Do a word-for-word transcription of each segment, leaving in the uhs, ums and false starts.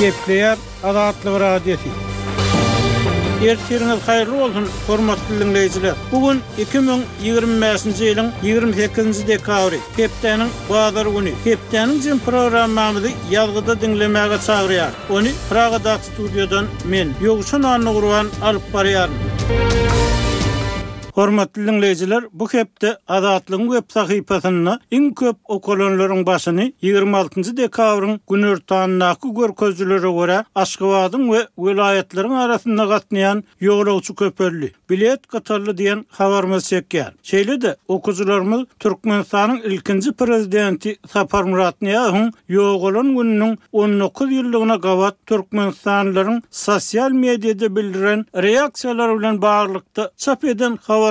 Gepleýär Azatlyk Radiosy. Ertiriňiz haýyrly bolsun, hormatly diňleýjiler. Bu gün iki müň ýigrimi bäşinji ýylyň ýigrimi sekizinji dekabry, hepdäniň bazar güni. Hepdäniň jem programmamyzy ýazgyda diňlemäge çagyrýar. Ony Pragadaky studiýadan men, Ýowşan Annagurban alyp barýaryn. Hormatly diňleýjiler, bu hepde Azatlygyň web sahypasynda iň köp okalanlaryň başyny ýigrimi altynjy dekabryň günortandaky görkezijilere görä Aşgabadyň we welaýatlaryň arasynda gatnaýan ýolagçy köpeldi, bilet gytaldy diýen habarymyz çekýär. Şeýle-de okyjylarymyz Türkmenistanyň ilkinji prezidenti Saparmyrat Nyýazowyň ýogalan gününiň on dokuz ýyllygyna gabat Türkmenistanlylaryň sosial mediada bildiren reaksiýalary bilen baglylykda çap eden habarymyzy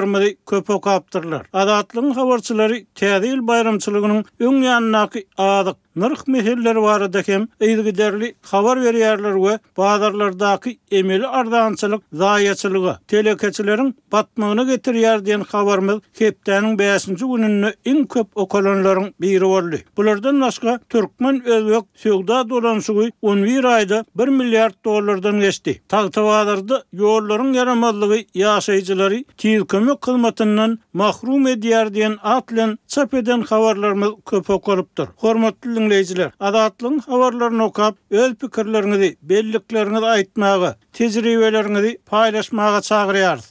köp okapdyrlar. Azatlygyň habarçylary Täze ýyl baýramçylygynyň öň ýanyndaky azyk nyrh meseleleri barada hem yzygiderli habar berýärler we bazarlardaky emeli arzançylyk zaýaçylyga, telekeçileriň batmagyna getirýär diýen habarymyz hepdäniň bäşinji gününde iň köp okalanlaryň biri boldy. Bulardan başga Türkmen Özbek söwda dolanşygy on bir aýda bir milliard dollardan geçdi. Tagtabazarda ýollaryň ýaramazlygy ýaşaýjylary tiz kömek hyzmatyndan mahrum edýär diýen at bilen çap eden habarlarymyz köp okalypdyr. Hormatly diňleýjiler, Azatlygyň habarlaryny okap, öz pikirleriňizi, bellikleriňizi aýtmaga, tejribeleriňizi paýlaşmaga çagyrýarys.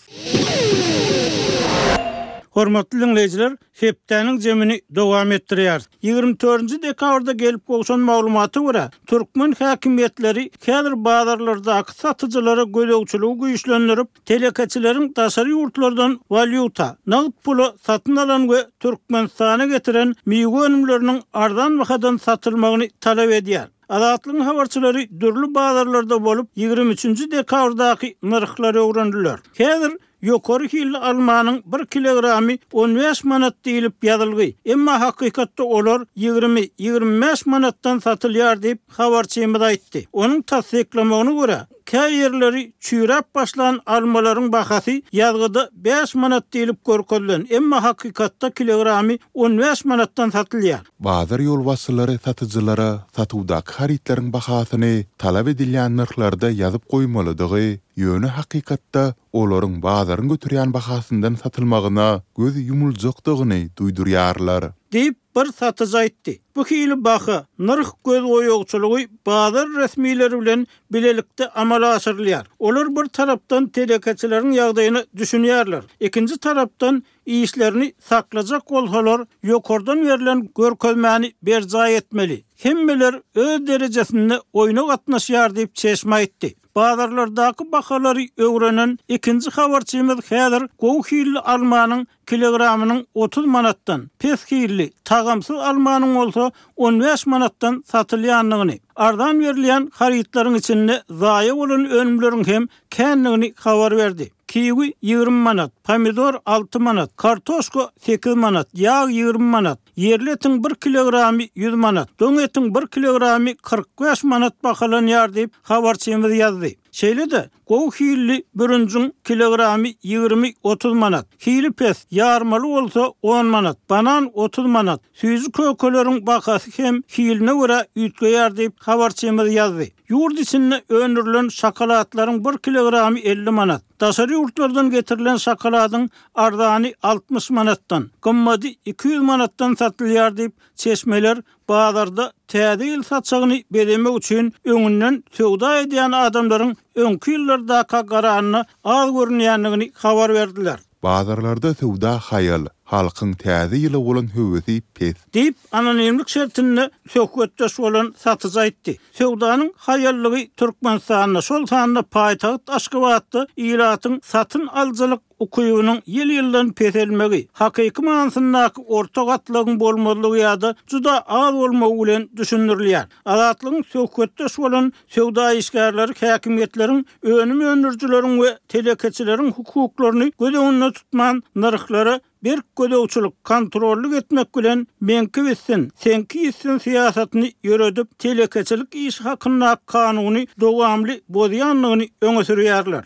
Hormatly diňleýjiler, hepdäniň jemini dowam etdirýäris. Ýigrimi dördünji dekabrda gelip gowşan maglumata görä, türkmen häkimiýetleri häzir bazarlardaky satyjylara gözegçiligi güýçlendirip, telekeçileriň daşary ýurtlardan walýuta, nagt pula satyn alan we Türkmenistana getiren miwe önümleriniň arzan bahadan satylmagyny talap edýär. Azatlygyň habarçylary dürli bazarlarda bolup, ýigrimi üçünji dekabrdaky nyrhlary öwrendiler. Häzir ýokary hilli almanyň bir kilogramy on bäş manat diýilip ýazylgy. Emma hakykatda olar ýigrimi, ýigrimi bäş manatdan satylýar diýip habarçymyz aýtdy. Onuň tassyklamagyna görä, kä ýerleri çüýräp başlan almalaryň bahasy ýazgyda bäş manat diýilip görkezilen, emma hakykatda kilogramy on bäş manatdan satylýar. Bazar ýolbaşçylary satyjylara satuwdaky harytlaryň bahasyny talap edilýän nyrhlarda ýazyp goýmalydygy, ýöne hakykatda olaryň bazaryň göterýän bahasyndan satylmagyna göz ýumuljakdygyny duýdurýarlar. Diýip bir satyjy aýtdy. Bu hili baha, nyrh göz goýagçylygy bazar resmileri bilen bilelikde amala aşyrylýar. Olar bir tarapdan telekeçileriň ýagdaýyny düşünýärler. Ikinji tarapdan işlerini saklajak bolsalar, ýokardan berlen görkezmäni berjaý etmeli. Hemmeler öz derejesinde oýna gatnaşýar diýip çeşme aýtdy. Bazarlardaky bahalary öwrenen ikinji habarçymyz häzir gowy hilli almanyň kilogramynyň otuz manatdan, pes hilli, tagamsyz almanyň bolsa on bäş manatdan satylýandygyny, arzan berilýän harytlaryň içinde zaýa bolan önümleriň hem kändigini habar berdi. Kiwi ýigrimi manat, pomidor alty manat, kartoşka sekiz manat, ýag ýigrimi manat, ýerli etiň bir kilogramy ýüz manat, doň etiň bir kilogramy kyrk bäş manat bahalanýar diýip habarçymyz ýazdy. Şeýle-de gowy hilli bürünjiň kilogramy ýigrimi otuz manat, hili pes, ýarmaly bolsa on manat, banan otuz manat, süýji kökeleriň bahasy hem hiline görä üýtgeýär diýip habarçymyz ýazdy. Ýurt içinde öndürilen şokoladlaryň bir kilogramy elli manat, daşary ýurtlardan getirilen şokoladyň arzany altmyş manatdan, gymmady iki ýüz manatdan satylýar diýip çeşmeler bazarda täze ýyl saçagyny bezemek üçin öňünden söwda edýän adamlaryň öňki ýyllardaka garanyna az görünýändigini habar berdiler. Bazarlarda söwda haýal, halkyň täze ýyla bolan höwesi pes. Diýip anonimlik şertinde söhbetdeş bolan satyjy aýtdy. Söwdanyň haýallygy Türkmenistanda, şol sanda paýtagt Aşgabatda ilatyň satyn alyjylyk ukybynyň ýyl-ýyldan peselmegi, hakyky manysyndaky orta gatlagyň bolmazlygy ýa-da juda az bolmagy bilen düşündirilýär. Azatlygyň söhbetdeş bolan söwda işgärleri häkimiýetleriň önüm öndürijileriň we telekeçileriň hukuklaryny göz öňünde tutman nyrhlara berk gözegçilik, kontrollyk etmek bilen meňki bitsin, seňki ýitsin syýasatyny ýöredip, telekeçilik işi hakyndaky kanuny dowamly bozýandygyny öňe sürýärler.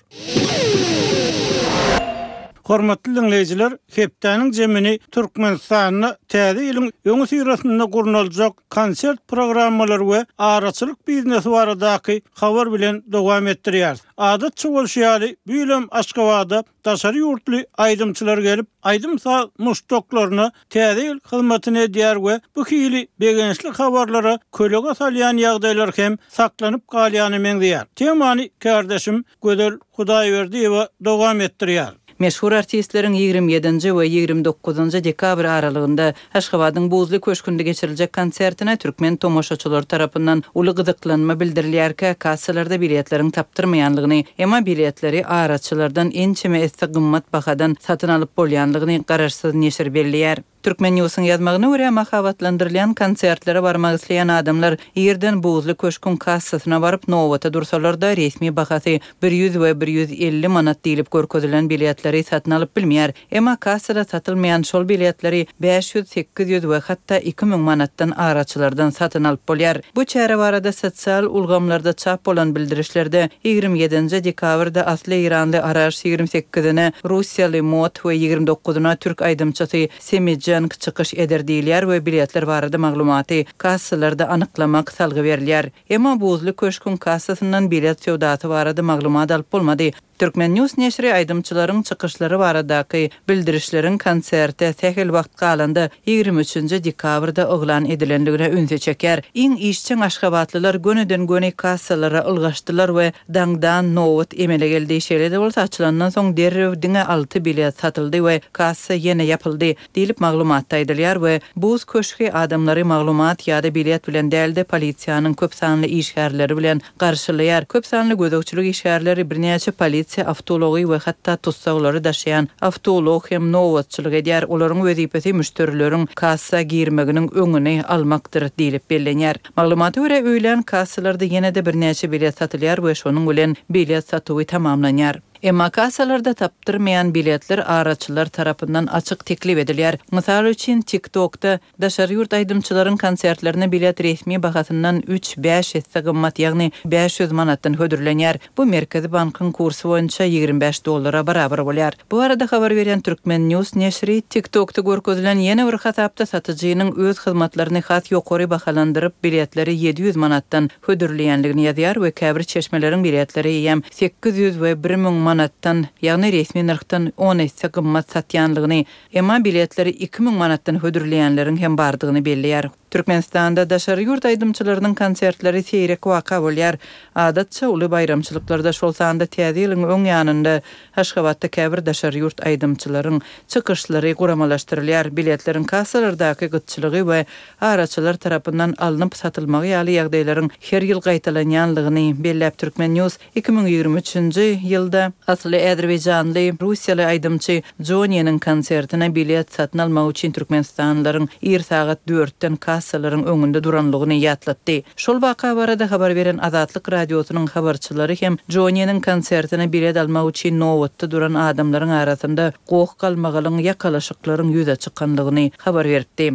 Hormatly diňleýjiler, hepdäniň jemini Türkmenistanda täze ýylyň öňüsyrasynda gurnaljak konsert programmalary we araçylyk biznesi baradaky habar bilen dowam etdirýär. Adatça bolşy ýaly, bu ýylam Aşgabatda daşary ýurtly aýdymçylar gelip, aýdym-saz muşdaklaryna täze ýyl hyzmatyny edýär we bu hili begençli habarlara kölege salýan ýagdaýlar hem saklanyp galýany meňzeýär. Temany kardeşim Gözel Hudaýberdiýewa dowam etdirýär. Meşhur artistleriň ýigrimi ýedinji we ýigrimi dokuzynjy dekabr aralygynda Aşgabadyň Buzly köşgünde geçiriljek konsertine türkmen tomaşaçylary tarapyndan uly gyzyklanma bildirilýärkä kassalarda biletleriň tapdyrmaýanlygyny, emma biletleri araçylardan ençeme esse gymmat bahadan satyn alyp bolýanlygyny garaşsyz neşir belleýär. Türkmen News'un ýazmagyna görä mahabatlandyrylýan konsertlere barmak isleýän adamlar ýerden Buzly köşküň kassasyna baryp nowata dursalar-da resmi bahasy bir ýüz we bir ýüz elli manat diýlip görkezilen biletleri satyn alyp bilmeýär. Emma kassada satylmaýan şol biletleri bäş ýüz, sekiz ýüz we hatda iki müň manatdan araçylardan satyn alyp bolýar. Bu çäre barada sosial ulgamlarda çap bolan bildirişlerde ýigrimi ýedinji dekabrda asly Iranly Araş ýigrimi sekizine Russiýaly Mot we ýigrimi dokuzyna türk aýdymçysy Semidjan çykyş eder diýilýär we biletler barada maglumaty kassalarda anyklamak salgy berilýär. Emma Buzly köşküň kassasyndan bilet söwdasy barada maglumat alyp bolmady. Türkmen News neşiri aýdymçylaryň çykyşlary baradaky bildirişleriň konserte sähel wagt galanda ýigrimi üçünji dekabrda yglan edilenligine ünsi çeker. Iň işçiň Aşgabatlylar gönüden göni kassalara ylgaşdylar we daňdan nowat emele geldi. Şeýle-de bolsa açylandan soň derrew diňe alty bilet satyldy we kassa ýene ýapyldy diýlip maglumatda aýdylýar we Buz köşgi adamlary maglumat ýa-da bilet bilen dälde polisiýanyň köp sanly işgärleri bilen garşylaýar. Köp sanly gözegçilik işgärleri birnäçe polisiýa awtology we hatda tutsaglary daşaýan awtolog hem nowatçylyk edýär. Olaryň wezipesi müşderileriň kassa girmeginiň öňüni almakdyr diýlip bellenýär. Maglumata görä öýlän kassalarda ýene-de birnäçe bilet satylýar we şonuň bilen bilet satuwy tamamlanýar. Emma kassalarda tapdyrmaýan biletler araçylar tarapyndan açyk teklip edilýär. Mysal üçin TikTokda daşary ýurt aýdymçylaryň konsertlerine bilet resmi bahasyndan üç bäş esse gymmat, ýagny bäş ýüz manatdan hödürlenýär. Bu Merkezi bankyň kursy boýunça ýigrimi bäş dollara barabar bolýar. Bu arada habar berýän Türkmen News neşiri TikTokda görkezilen ýene bir hasapda satyjynyň öz hyzmatlaryny has ýokary bahalandyryp biletleri ýedi ýüz manatdan hödürleýänligini ýazýar we käbir çeşmeleriň biletleri eýýäm sekiz ýüz we bir müň manatdan, ýagny resmi nyrhdan on esse gymmat satýanlygyny, emma biletleri iki müň manatdan hödürleýänleriň hem bardygyny belleýär. Türkmenistanda daşary ýurt aýdymçylarynyň konsertleri seýrek waka bolýar. Adatça uly baýramçylyklarda şol sanda täze ýylyň öň ýanynda Aşgabatda käbir daşary ýurt aýdymçylaryň çykyşlary guramalaşdyrylýar. Biletleriň kassalardaky gytçylygy we araçylar tarapyndan alnyp satylmagy ýaly ýagdaýlaryň her ýyl gaýtalanýanlygyny belläp Türkmen News iki müň ýigrimi üçünji ýylda asly Azerbaýjanly Russiýaly aýdymçy Joniýanyň konsertine bilet satyn almak üçin Türkmenistanlylaryň ir sagat dörtden kassalaryň öňünde duranlygyny ýatlatdy. Şol waka barada habar beren Azatlyk radiosynyň habarçylary hem Joniýanyň konsertine bilet almak üçin nowatda duran adamlaryň arasynda goh galmagalyň ýakalaşyklaryň ýüze çykanlygyny habar berdi.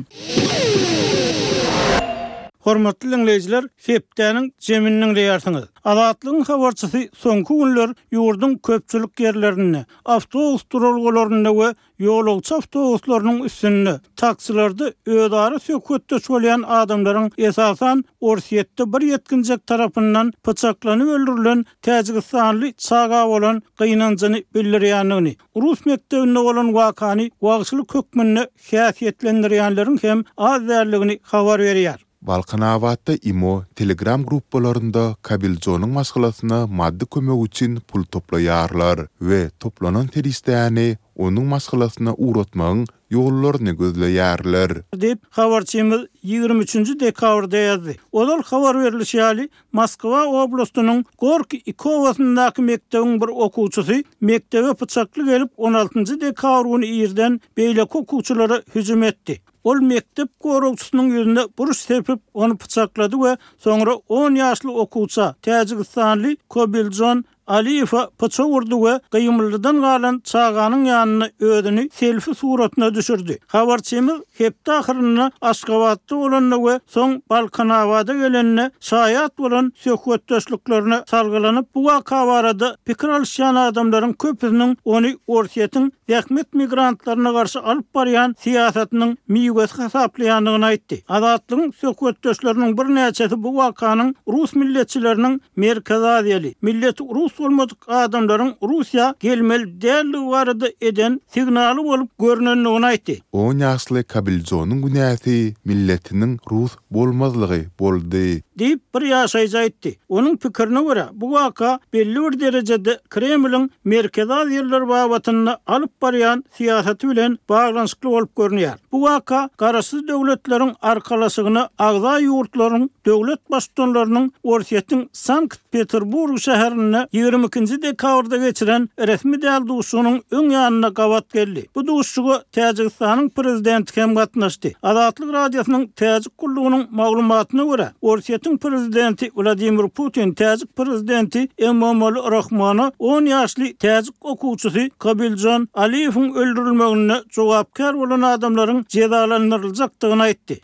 Hormatly dinleýjiler, hepdäniň jemini diňleýärsiňiz. Azatlygyň habarçysy soňky günler ýurduň köpçülik ýerlerinde, awtobus duralgalarynda we ýolagçy awtobuslarynyň üstünde taksilerde özara söhbetdeş bolýan adamlaryň esasan Orsýetde bir ýetginjek tarapyndan pyçaklanyp öldürilen Täjigistanly çaga bolan gynanjyny bildirýändigini, Rus mekdebinde bolan wakany wagşylyk hökmünde häsiýetlendirýänleriň hem az däldigini habar berýär. Balkanabatda Imo Telegram gruppalarynda Kabiljonyň maşgalasyna maddy kömek üçin pul toplaýarlar we toplanan serişdäni onuň maşgalasyna uğratmagyň ýollaryny gözleýärler. Diýip habarçymyz ýigrimi üçünji dekabrda ýazdy. Ozal habar berilişi ýaly Moskwa oblastynyň Gorki iki obasyndaky mekdebiň bir okuwçysy mekdebe pyçakly gelip on altynjy dekabr güni irden beýleki okuwçylara hüjüm etdi. Ol mektep goragçysynyň ýüzüne buruş sepip ony pyçaklady we soňra on ýaşly okuwça Täjigistanly Kobiljon Aliýewe pyçak urdy we gymyldydan galan çaganyň ýanyna özüni selfi suratyna düşürdi. Habarçymyz hepde ahyrynda Aşgabatda bolanda we soň Balkanabada gelende şaýat bolan söhbetdeşliklerine salgylanyp bu waka barada pikir alyşýan adamlaryň köpüsiniň ony Orsýetiň zähmet migrantlaryna garşy alyp barýan syýasatynyň miwesi hasaplaýandygyny aýtdy. Azatlygyň söhbetdeşleriniň birnäçesi bu wakanyň rus milletçileriniň Merkezi Aziýaly, milleti rus bolmadyk adamlaryň Russiýa gelmeli däldigi barada eden signaly bolup görünendigini aýtdy. On ýaşly Kabiljonyň günäsi milletiniň rus bolmazlygy boldy. Diýip bir ýaşaýjy aýtdy. Onuň pikirine görä bu waka belli bir derejede Kremliň Merkezi Aziýalylar babatynda alyp barýan syýasaty bilen baglanyşykly bolup görünýär. Bu waka Garaşsyz döwletleriň arkalaşygyna agza ýurtlaryň döwlet baştutanlarynyň Orsýetiň Sankt-Peterburg şäherinde ýigrimi ikinji dekabrda geçiren resmi däl duşuşygynyň öň ýanyna gabat geldi. Bu duşuşyga Täjigistanyň prezidenti hem gatnaşdy. Azatlyk radiosynyň Täjik gullugynyň maglumatyna görä, Orsýetiň prezidenti Wladimir Putin Täjik prezidenti Emomali Rahmona on ýaşly täjik okuwçysy Kabiljon Aliýewiň öldürilmegine jogapkär bolan adamlaryň jezalandyryljakdygyny aýtdy.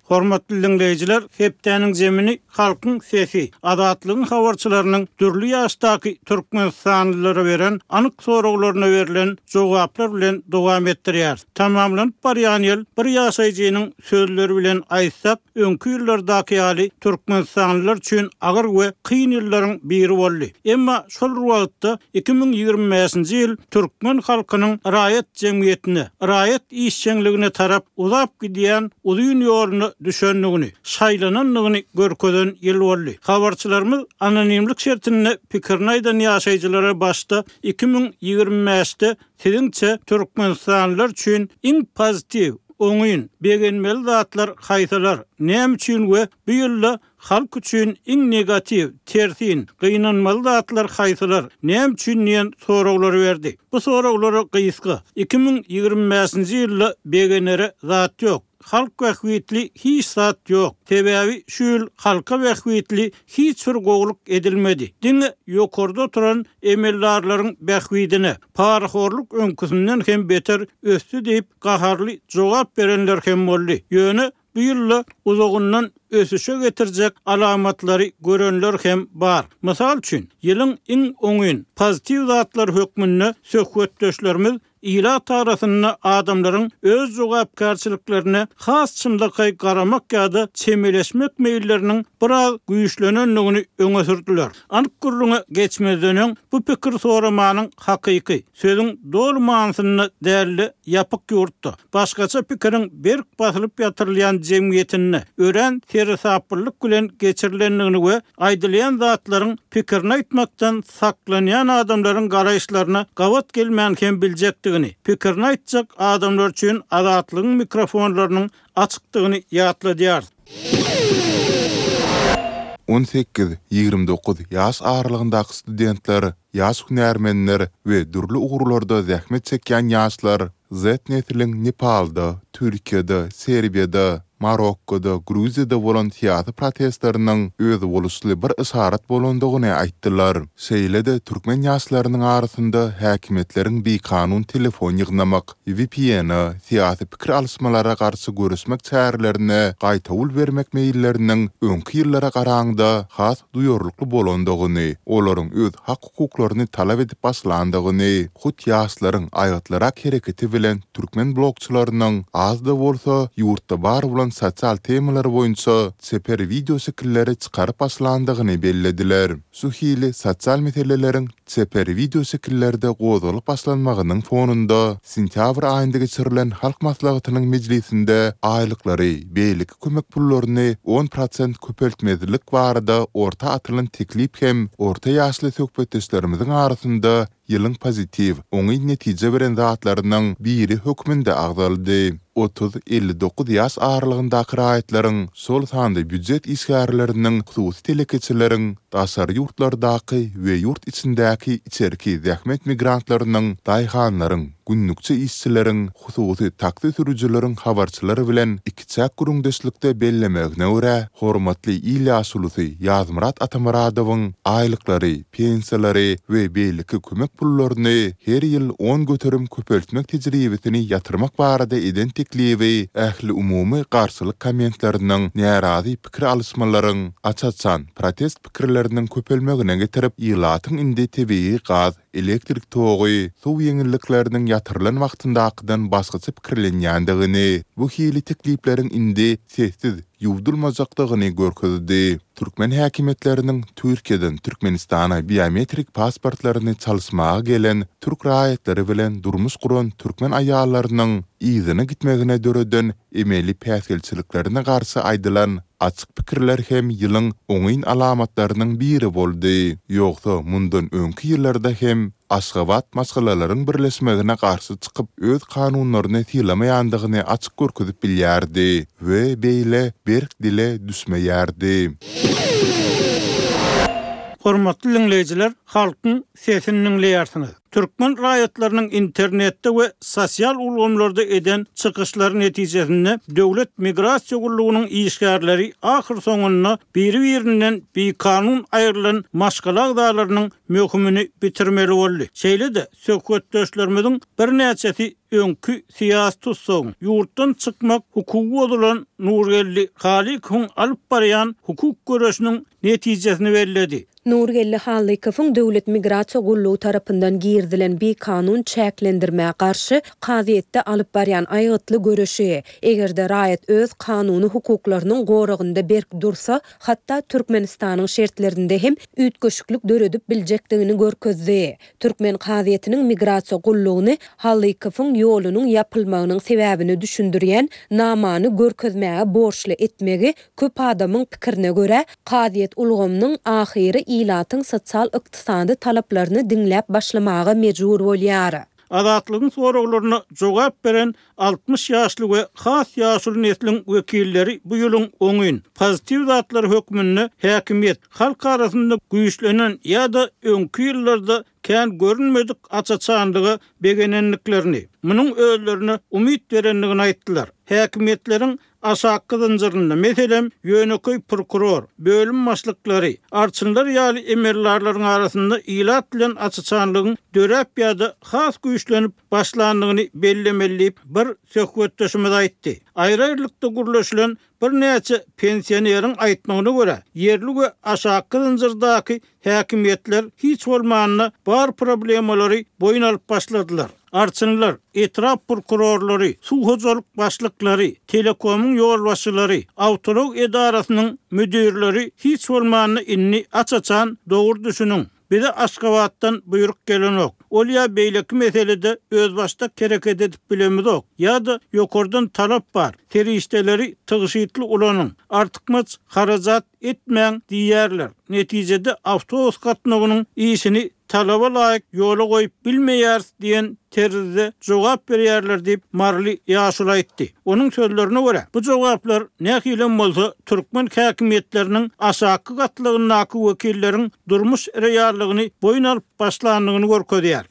Hormatly dinleýjiler, hepdäniň zemini halkyň sesi, azatlygyň habarçylarynyň dürli ýaşdaky Türkmenistanlylara beren anyk soraglaryna berlen jogaplar bilen dowam etdirýär. Tamamlanyp barýan ýyl bir ýaşaýjynyň sözleri bilen aýtsak, öňki ýyllardaky ýaly Türkmenistanlylar üçin agyr we kyn ýyllaryň biri boldy. Emma şol wagtda iki müň ýigrimi beşinji ýyl türkmen halkynyň raýat jemgyýetine, raýat işjeňligine tarap uzap gidýän uzyn ýoluna düşendigini, şaýlanandygyny görkezen ýyl boldy. Habarçylarymyz anonimlik şertinde pikirini aýdan ýaşaýjylara başda iki müň ýigrimi beşde siziňçe Türkmenistanlylar üçin iň pozitiw, oňyn, begenmeli zatlar haýsylar, näme üçin we bu ýylda halk üçin iň negatiw, tersin, gynanmaly zatlar haýsylar, näme üçin diýen soraglary berdi. Bu soraglara gysga iki müň ýigrimi beşinji ýylda begenere zat ýok. Halk bähbitli hiç zat ýok. Sebäbi şu ýyl halka bähbitli hiç bir gowluk edilmedi. Diňe ýokarda oturan emeldarlaryň bähbidine parahorluk öňküsinden hem beter ösdi diýip gaharly jogap berenler hem boldy. Ýöne bu ýylda uzagyndan ösüşe getirjek alamatlary görenler hem bar. Mysal üçin, ýylyň iň oňyn pozitiw zatlar hökmünde söhbetdeşlerimiz ilat arasynda adamlaryň öz jogapkärçiliklerine has çynlakaý garamak ýa-da çemeleşmek meýilleriniň biraz güýçlenendigini öňe sürdüler. Anyk gürrüňe geçmezden öň bu pikir soramanyň hakyky, sözüň doly manysynda dälli ýapyk ýurtda, başgaça pikiriň berk basylyp ýatyrylýan jemgyýetinde örän seresaplylyk bilen geçirilendigini we aýdylýan zatlaryň pikirini aýtmakdan saklanýan adamlaryň garaýyşlaryna gabat gelmän hem biljekdigini, pikirini aýtjak adamlar üçin azatlygyň mikrofonlarynyň açykdygyny ýatladýar. On sekiz, ýigrimi dokuz ýaş aralygyndaky studentler, ýaş hünärmenler we dürli ugurlarda zähmet çekýän ýaşlar Z nesliň Nepalda, Türkiýede, Serbiýada, Marokkoda, Gruziýada bolan syýasy protestleriniň özboluşly bir yşarat bolandygyny aýtdylar. Şeýle-de türkmen ýaşlarynyň arasynda häkimiýetleriň bikanun telefon ýygnamak, V P N-e, syýasy pikir alyşmalara garşy görüşmek çärelerine gaýtawul bermek meýilleriniň öňki ýyllara garaňda has duýarlykly bolandygyny, olaryň öz hak hukuklaryny talap edip başlandygyny, hut ýaşlaryň aýgytlyrak hereketi bilen türkmen blogçylarynyň az-da bolsa ýurtda bar bolan sosial temalar boýunça çeper video şekilleri çykaryp başlandygyny bellediler. Şu hili sosial meseleleriň çeper video şekillerde gozgalyp başlanmagynyň fonunda sentýabr aýynda geçirilen Halk Maslahatynyň mejlisinde aýlyklary, beýleki kömek pullaryny on prosent köpeltmezlik barada orta atylan teklip hem orta ýaşly söhbetdeşlerimiziň arasynda ýylyň pozitiw, oňyn netije beren zatlarynyň biri hökmünde agzaldy. Otuz elli dokuz ýaş aralygyndaky raýatlaryň, şol sanda býujet işgärleriniň, hususy telekeçileriň, Daşary ýurtlardaky we ýurt içindäki içerki zähmet migrantlarynyň, daýhanlaryň, günlükçi işçileriň, hususy taksi sürüjileriň habarçylar bilen ikiçäk gürrüňdeşlikde bellemegine görä, hormatly il ýaşulusy Ýazmyrat Atamyradowyň aýlyklary, pensiýalary we beýleki kömek pullaryny her ýyl on göterim köpeltmek tejribesini ýatyrmak barada eden teklibi ähliumumy garşylyk kommentleriniň, närazy pikir alyşmalaryň, aç-açan protest pikirleriniň köpelmegine getirip, ilatyň indi tebigy gaz, elektrik togy, suw ýeňillikleriniň ýatyrylan wagtyndakydan başgaça pikirlenýändigini, bu hili teklipleriň indi sessiz ýuwdulmajakdygyny görkezdi. Türkmen häkimiýetleriniň Türkiýeden Türkmenistana biometrik pasportlaryny çalyşmaga gelen türk raýatlary bilen durmuş guran türkmen aýallarynyň yzyna gitmegine döreden emeli päsgelçiliklerine garşy aýdylan açyk pikirler hem ýylyň oňyn alamatlarynyň biri boldy. Ýogsa mundan öňki ýyllarda hem Aşgabat maşgalalaryň birleşmegine garşy çykyp, öz kanunlaryny sylamaýandygyny açyk görkezip bilýärdi we beýle berk dile düşmeýärdi. Hormatly dinleýjiler, halkyň sesini dinleýärsiňiz. Türkmen raýatlarynyň internetde we sosial ulgamlarda eden çykyşlary netijesinde Döwlet migrasiýa gullugynyň işgärleri ahyr soňunda biri-birinden bikanun aýrylan maşgala agzalarynyň möhümini bitirmeli boldy. Şeýle-de söhbetdeşlerimiziň birnäçesi öňki syýasy tutsagyň ýurtdan çykmak hukugy bozulan Nurgeldi Halykowyň alyp barýan hukuk göreşiniň netijesini belledi. Nurgeldi Halykowyň Döwlet migrasiýa gullugy tarapyndan girdilen bikanun çäklendirmä garşy kazyýetde alyp barýan aýgytly göreşi, eger-de raýat öz kanuny hukuklarynyň goragynda berk dursa, hatda Türkmenistanyň şertlerinde hem üýtgeşiklik döredip biljekdigini görkezdi. Türkmen kazyýetiniň migrasiýa gullugyny Halykowyň ýolunyň ýapylmagynyň sebäbini düşündirýän namany görkezmäge borçly etmegi köp adamyň pikirine görä, kazyýet ulgamynyň ahyry ilatyň sosial ykdysady talaplaryny diňläp başlamaga mejbur bolýar. Azatlygyň soraglaryna jogap beren altmyş ýaşly we has ýaşuly nesliň wekilleri bu ýylyň oňyn pozitiw zatlary hökmünde häkimiýet halk arasynda güýçlenen ýa-da öňki ýyllarda kän görünmedik açaçanlyga begenenliklerini, munuň özlerine umyt berendigini aýtdylar. Häkimiýetleriň aşakky zynjyrynda, meselem, ýönekeý prokuror, bölüm başlyklary, arçynlar ýaly emeldarlaryň arasynda ilat bilen açaçanlygyň döräp ýa-da has güýçlenip başlandygyny bellemeli diýip bir söhbetdeşimiz aýtdy. Aýry-aýrylykda gürleşilen birnäçe pensioneriň aýtmagyna görä, ýerli we aşakky zynjyrdaky häkimiýetler hiç bolmanda bar problemalary boýun alyp başladylar. Arçynlar, etrap prokurorlary, suw hojalyk başlyklary, telekomyň ýolbaşçylary, awtoulag edarasynyň müdirleri hiç bolmanda indi aç-açan dogry düşüniň. Bize Aşgabatdan buýruk gelenok. Ol ýa beýleki meselede özbaşdak hereket edip bilemizok ýa-da ýokardan talap bar. Serişdeleri tygşytly ulanyň, artykmaç harajat etmäň diýýärler. Netijede awtobus gatnawynyň işini talaba laýyk ýola goýup bilmeýäris diýen terzde jogap berýärler diýip Marly ýaşuly aýtdy. Onuň sözlerine görä, bu jogaplar nähili bolsa türkmen häkimiýetleriniň aşakky gatlagyndaky wekilleriň durmuş reallygyny boýun alyp başlandygyny görkezýär.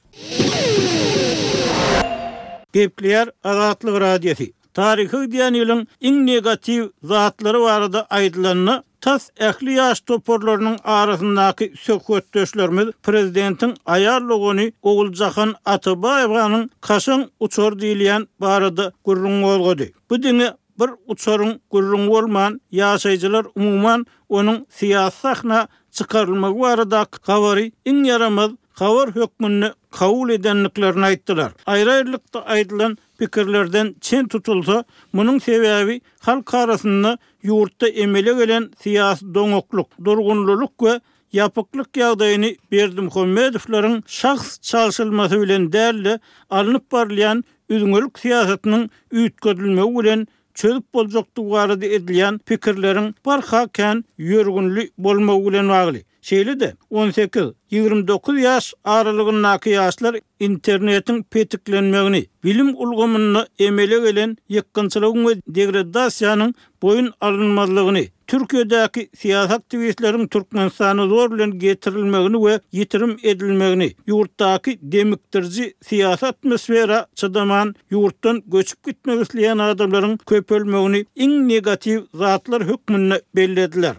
Gepleýär Azatlyk Radiosy. Taryhy diýen ýylyň iň negatiw zatlary barada aýdylanda, tas ähli ýaş toparlarynyň arasyndaky söhbetdeşlerimiz prezidentiň aýal dogany Oguljahan Atabaýewanyň kaşaň uçar diýilýän barada gürrüň gozgady. Bu diňe bir uçaryň gürrüň bolman, ýaşaýjylar umuman onuň syýasy sahna çykarylmagy baradaky habary iň ýaramaz habar hökmünde kabul edendiklerini aýtdylar. Aýry-aýrylykda aýdylan pikirlerden çen tutulsa, munuň sebäbi halk arasynda ýurtda emele gelen syýasy doňaklyk, durgunlylyk we ýapyklyk ýagdaýyny Berdimuhamedowlaryň şahs çalşylmasy bilen däl-de alnyp barylýan üzňelik syýasatynyň üýtgedilmegi bilen çözüp boljakdygy barada edilýän pikirleriň barha kän ýörgünli bolmagy bilen bagly. Şeýle-de on sekiz ýigrimi dokuz ýaş aralygyndaky ýaşlar internetiň petiklenmegini, bilim ulgamynda emele gelen ýykgynçylygyň we degradasiýanyň boýun alynmazlygyny, Türkiýedäki syýasy aktiwistleriň Türkmenistana zor bilen getirilmegini we ýitirim edilmegini, ýurtdaky demikdiriji syýasy atmosfera çydaman ýurtdan göçüp gitmek isleýän adamlaryň köpelmegini iň negatiw zatlar hökmünde bellediler.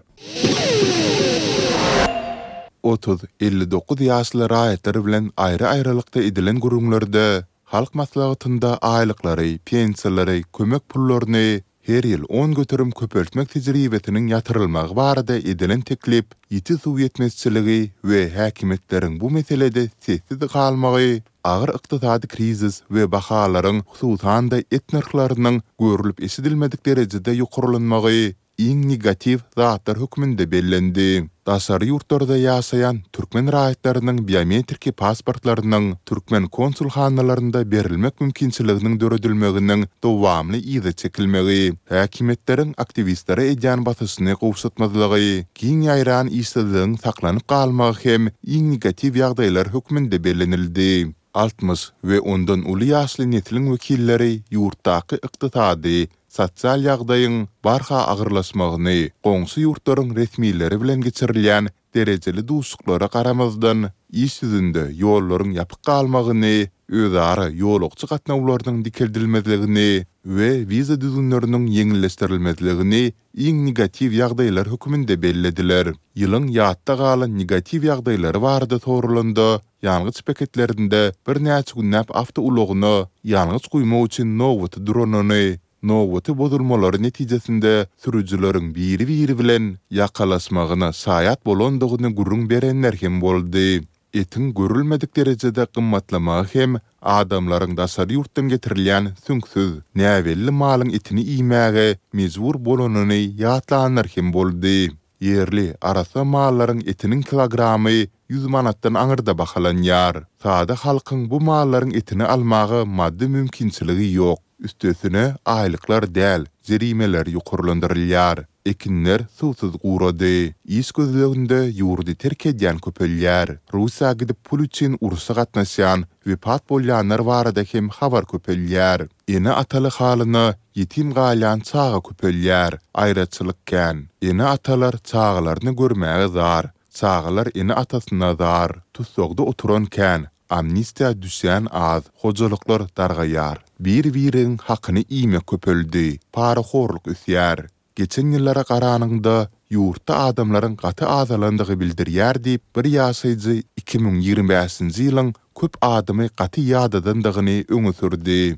Otuz, elli dokuz ýaşly raýatlar bilen aýry-aýrylykda edilen gürrüňlerde Halk Maslahatynda aýlyklary, pensiýalary, kömek pullaryny her ýyl on göterim köpeltmek tejribesiniň ýatyrylmagy barada edilen teklip, ýiti suw ýetmezçiligi we häkimiýetleriň bu meselede sessiz galmagy, agyr ykdysady krizis we bahalaryň, hususan-da et nyrhlarynyň görlüp-eşidilmedik derejede ýokarlanmagy iň negatiw zatlar hökmünde bellendi. Daşary ýurtlarda ýaşaýan türkmen raýatlarynyň biometriki pasportlarynyň türkmen konsulhanalarynda berilmek mümkinçiliginiň döredilmeginiň dowamly yza çekilmegi, häkimiýetleriň aktiwistlere edýän basyşyny gowşatmazlygy, giň ýaýran işsizligiň saklanyp galmagy hem iň negatiw ýagdaýlar hökmünde bellenildi. Altmyş we ondan uly ýaşly nesliň wekilleri ýurtdaky ykdysady, sosial ýagdaýyň barha agyrlaşmagyny, goňşy ýurtlaryň resmileri bilen geçirilýän derejeli duşuşyklara garamazdan, iş ýüzünde ýollaryň ýapyk galmagyny, özara ýolagçy gatnawlarynyň dikeldilmezligini we wiza düzgünleriniň ýeňilleşdirilmezligini iň negatiw ýagdaýlar hökmünde bellediler. Ýylyň ýatda galan negatiw ýagdaýlary barada soralanda, ýangyç beketlerinde birnäçe günläp awtoulagyna ýangyç guýmak üçin nobaty duranyny, nobaty bozulmalary netijesinde sürüjileriň biri-biri bilen ýakalaşmagyna şaýat bolandygyny gürrüň berenler hem boldy. Etiň görülmedik derejede gymmatlamagy hem adamlaryň daşary ýurtdan getirilýän süňksüz, näbelli malyň etini iýmäge mejbur bolanyny ýatlanlar hem boldy. Ýerli arassa mallaryň etiniň kilogramy ýüz manatdan aňyrda bahalanýar. Sada halkyň bu mallaryň etini almaga maddy mümkinçiligi ýok. Üstesine aýlyklar däl, jerimeler ýokarlandyrylýar. Ekinler suwsuz gurady. Iş gözleginde ýurdy terk edýän köpelýär. Russiýa gidip pul üçin urşa gatnaşýan, wepat bolýanlar barada hem habar köpelýär. Ene-ataly halyna ýetim galýan çaga köpelýär. Aýraçylyk kän. Ene-atalar çagalaryny görmäge zar, çagalar ene-atasyna zar. Tussagda oturan kän, amnistiýa düşýän az, hojalyklar dargaýar. Bir-biriň hakyny iýmek köpeldi, parahorluk ösýär. Geçen ýyllara garanyňda ýurtda adamlaryň gaty azalandygy bildirýär diýip, bir ýaşaýjy iki müň ýigrimi bäşinji ýylyň köp adamy gaty ýadadandygyny öňe sürdi.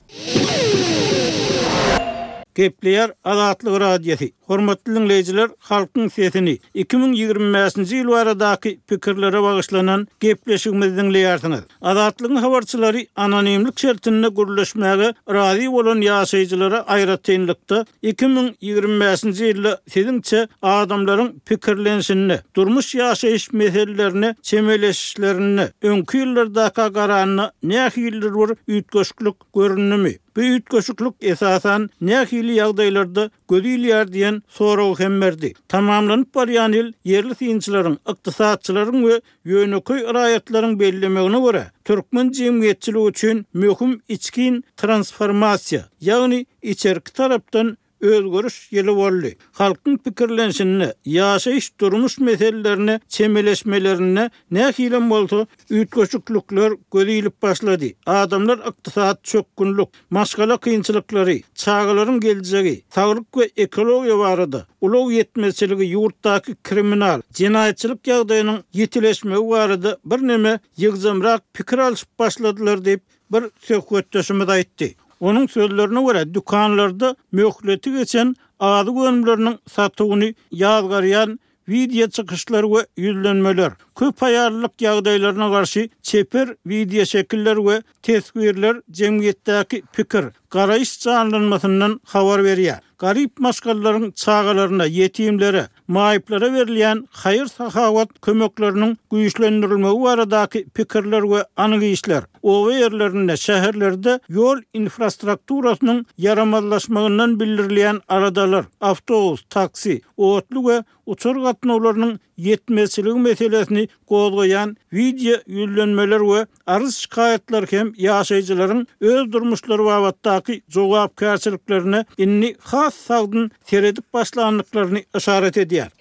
Gepleýär Azatlyk Radiosy. Hormatly dinleýjiler, halkyň sesini iki müň ýigrimi bäşinji ýyl baradaky pikirlere bagyşlanan gepleşigimizi dinleýärsiňiz. Azatlygyň habarçylary anonimlik şertinde gürleşmäge razy bolan ýaşaýjylara aýratynlykda iki müň ýigrimi bäşinji ýylda siziňçe adamlaryň pikirlenişinde, durmuş ýaşaýyş meselelerine çemeleşişlerinde öňki ýyllardaka garanda nähilidir bir üýtgeşiklik göründimi? Bu üýtgeşiklik esasan nähili ýagdaýlarda göz ilýär diýen soragy hem berdi. Tamamlanyp barýan ýyl ýerli synçylaryň, ykdysatçylaryň we ýönekeý raýatlaryň bellemegine görä, türkmen jemgyýetçiligi üçin möhüm içkin transformasiýa, ýagny içerki tarapdan özgeriş ýyly boldy. Halkyň pikirlenişinde, ýaşaýyş durmuş meselelerine çemeleşmelerinde nähilem bolsa üýtgeşiklikler göz ilip başlady. Adamlar ykdysat çökgünlik, maşgala kynçylyklary, çagalaryň geljegi, saglyk we ekologiýa barada, ulag ýetmezçiligi, ýurtdaky kriminal, jenaýatçylyk ýagdaýynyň ýetileşmegi barada birneme ýygjamrak pikir alyşyp başladylar diýip bir söhbetdeşimiz aýtdy. Onuň sözlerine görä dükanlarda möhleti geçen azyk önümleriniň satuwyny ýazgarýan wideo çykyşlar we ýüzlenmeler, köp aýallyk ýagdaýlaryna garşy çeper wideo şekiller we teswirler jemgyýetdäki pikir, garaýyş janlanmasyndan habar berýär. Garyp maşgalalaryň çagalaryna, ýetimlere, maýyplara berilýän haýyr-sahawat kömekleriniň güýçlendirilmegi baradaky pikirler we anyk işler, oba ýerlerinde, şäherlerde ýol infrastrukturasynyň ýaramazlaşmagyndan bildirilýän aradalar, awtobus, taksi, otly we uçar gatnawlarynyň ýetmezçiligi meselesini gozgaýan wideo ýüzlenmeler we arz şikaýatlar hem ýaşaýjylaryň öz durmuşlary babatdaky jogapkärçiliklerine indi has sagdyn seredip başlandyklaryny yşarat edýär.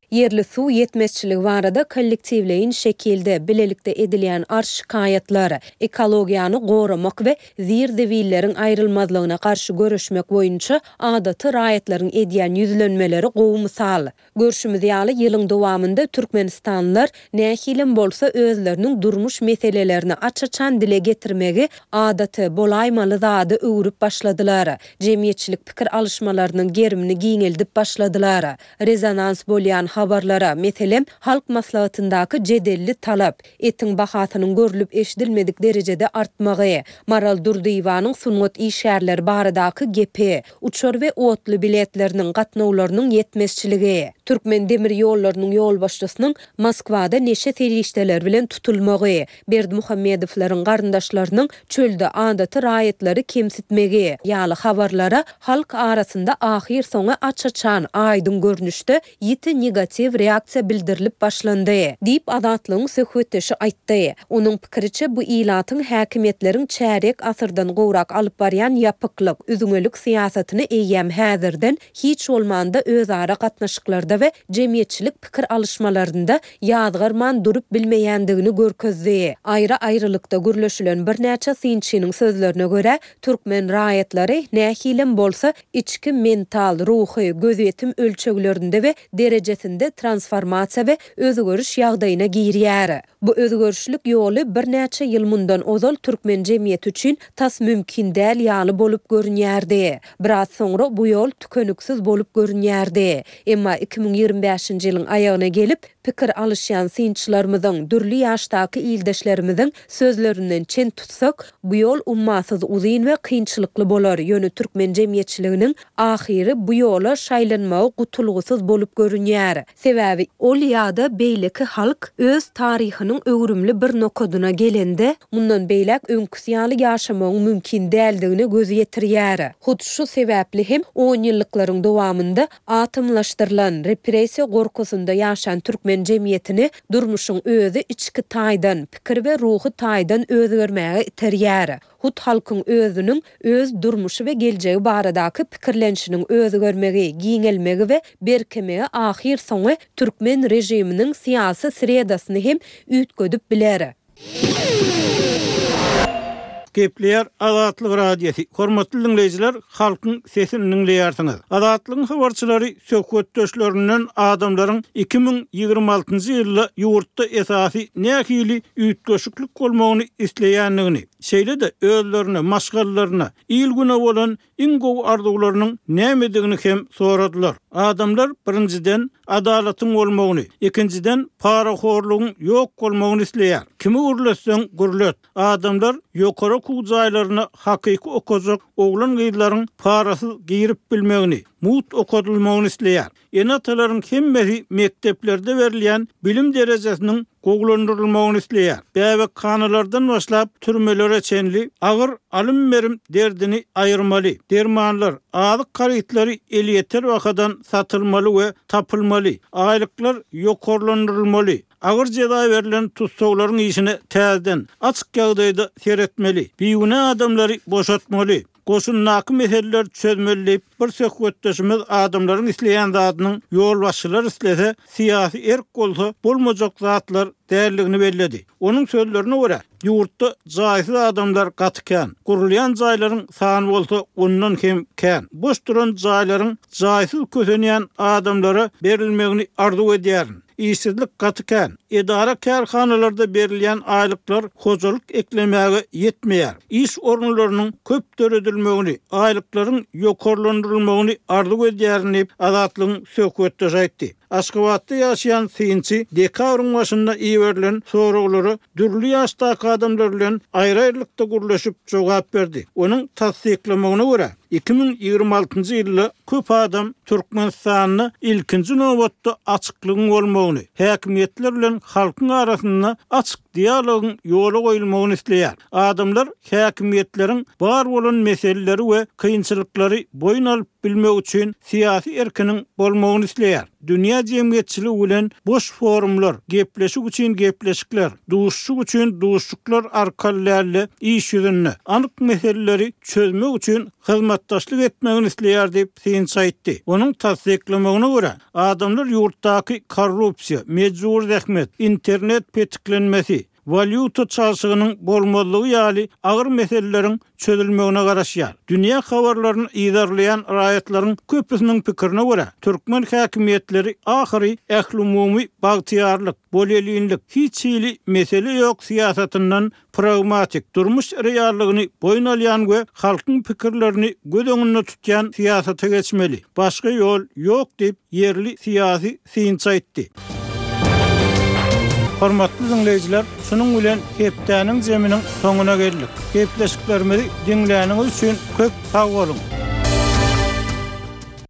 Ýerli suw ýetmezçiligi barada kollektiwleýin şekilde bilelikde edilýän arz şikaýatlar, ekologiýany goramak we zir-zibilleriň aýrylmazlygyna garşy göreşmek boýunça adaty raýatlaryň edýän ýüzlenmeleri gowy mysal. Görşümiz ýaly, ýylyň dowamynda türkmenistanlylar nähilem bolsa özleriniň durmuş meselelerini aç-açan dile getirmegi adaty, bolaýmaly zada öwrüp başladylar. Jemgyýetçilik pikir alyşmalarynyň gerimini giňeldip başladylar. Rezonans bolýan habarlara, meselem, Halk Maslahatyndaky jedelli talap, etiň bahasynyň görlüp-eşidilmedik derejede artmagy, Maral Durdyýewanyň sungat işgärleri baradaky gepi, uçar we otly biletleriniň gatnawlarynyň ýetmezçiligi, Türkmen demir ýollarynyň ýolbaşçysynyň Moskwada neşe serişdeleri bilen tutulmagy, Berdimuhamedowlaryň garyndaşlarynyň çölde adaty raýatlary kemsitmegi ýaly habarlara halk arasynda ahyrsoňy aç-açan, aýdyň görnüşde ýiti negatiw reaksiýa bildirilip başlandy, diýip, Azatlygyň söhbetdeşi aýtdy. Onuň pikiriçe, bu ilatyň häkimiýetleriň çärýek asyrdan gowrak alyp barýan ýapyklyk, üzňelik syýasatyny eýýäm häzirden hiç bolmanda özara gatnaşyklarda we jemgyýetçilik pikir alyşmalarynda ýazgarman durup bilmeýändigini görkezdi. Aýry-aýrylykda gürleşilen birnäçe synçynyň sözlerine görä, türkmen raýatlary, nähilem bolsa, içki mental, ruhy, gözýetim ölçeglerinde we derejesinde transformasiýa we özgeriş ýagdaýyna girýär. Bu özgerişlik ýoly birnäçe ýyl mundan ozal türkmen jemgyýeti üçin tas mümkin däl ýaly bolup görünýärdi. Biraz soňra bu ýol tükeniksiz bolup görünýärdi. Emma iki müň ýigrimi bäşinji ýylyň aýagyna gelip, pikir alyşýan synçylarymyzyň, dürli ýaşdaky ildeşlerimiziň sözlerinden çen tutsak, bu ýol ummasyz uzyn we kynçylykly bolar, ýöne türkmen jemgyýetçiliginiň ahyry bu ýola şaýlanmagy gutulgysyz bolup görünýär. Sebäbi ol ýa-da beýleki halk öz taryhynyň öwrümli bir nokadyna gelende, mundan beýläk öňküsi ýaly ýaşamagyň mümkin däldigine göz ýetirýär. Hut şu sebäpli hem onýyllyklaryň dowamynda atomlaşdyrylan, repressiýa gorkusynda ýaşan türkmen jemgyýetini durmuşyň özi içki taýdan, pikir we ruhy taýdan özgermäge iterýär. Hut halkyň özüniň öz durmuşy we geljegi baradaky pikirlenişiniň özgermegi, giňelmegi we berkemegi ahyrsoňy türkmen režiminiň syýasy sredasyny hem üýtgedip biler. Gepleýär Azatlyk Radiosy. Hormatly diňleýjiler, halkyň sesini diňleýärsiňiz. Azatlygyň habarçylary söhbetdeşlerinden adamlaryň iki müň ýigrimi altynjy ýylda ýurtda esasy nähili üýtgeşiklik bolmagyny isleýändigini, şeýle-de özlerine, maşgalalaryna, il-güne bolan iň gowy arzuwlarynyň nämedigini hem soradylar. Adamlar birinjiden adalatyň bolmagyny, ikinjiden parahorlugyň ýok bolmagyny isleýär. Kimi gürletseň gürlet. Adamlar ýokary okuw jaýlaryna hakyky okajak oglan-gyzlaryň parasyz girip bilmegini, mugt okadylmagyny isleýär. Ene-atalaryň hemmesi mekdeplerde berilýän bilim derejesiniň gowulandyrylmagyny isleýär. Bäbekhanalardan başlap türmelere çenli agyr alym-berim derdini aýyrmaly. Dermanlar, azyk harytlary elýeter bahadan satylmaly we tapylmaly. Aýlyklar ýokarlandyrylmaly. Agyr jeza berlen tussaglaryň işine täzeden açyk ýagdaýda seretmeli. Bigünä adamlary boşatmaly. Goşundaky meseleler çözmeli diýip, bir söhbetdeşimiz adamlaryň isleýän zadynyň ýolbaşçylar islese, syýasy erk bolsa bolmajak zatlar däldigini belledi. Onuň sözlerine görä, ýurtda jaýsyz adamlar gaty kän. Gurulýan jaýlaryň sany bolsa ondan hem kän. Boş duran jaýlaryň jaýsyz kösenýän adamlara berilmegini arzuw edýärin. Işsizlik gaty kän. Edara kärhanalarda berilýän aýlyklar hojalyk eklemäge ýetmeýär. Iş orunlarynyň köp döredilmegini, aýlyklaryň ýokarlandyrylmagyny arzuw edýärin diýip, Azatlygyň söhbetdeşi aýtdy. Aşgabatda ýaşaýan synçy dekabryň başynda iberilen soraglara dürli ýaşdaky adamlar bilen aýry-aýrylykda gürleşip jogap berdi. Onuň tassyklamagyna görä, iki müň ýigrimi altynjy ýylda köp adam Türkmenistanda ilkinji nobatda açyklygyň bolmagyny, häkimiýetler bilen halkyň arasynda açyk dialogyň ýola goýulmagyny isleýär. Adamlar häkimiýetleriň bar bolan meseleleri we kynçylyklary boýun alyp bilmek üçin syýasy erkiniň bolmagyny isleýär. Dünýä jemgyýetçiligi bilen boş forumlar, gepleşik üçin gepleşikler, duşuşyk üçin duşuşyklar arkaly däl-de iş ýüzünde anyk meseleleri çözmek üçin hyzmatdaşlyk etmegini isleýär diýip synçy aýtdy. Onuň tassyklamagyna görä, adamlar ýurtdaky korrupsiýa, mejbur zähmet, internet petiklenmesi, walýuta çalşygynyň bolmazlygy ýaly agyr meseleleriň çözülmegine garaşýar. Dünýä habarlaryny yzarlaýan raýatlaryň köpüsiniň pikirine görä, türkmen häkimiýetleri ahyry ählumumy bagtyýarlyk, bolelinlik, hiç hili mesele ýok syýasatyndan pragmatik, durmuş reallygyny boýun alýan we halkyň pikirlerini göz öňünde tutýan syýasata geçmeli. Başga ýol ýok diýip, ýerli syýasy synçy aýtdy. Hormatly dinleýjiler, şunuň bilen hepdäniň zeminiň soňuna geldik. Gepleşiklerimizi diňläniňiz üçin köp sag boluň.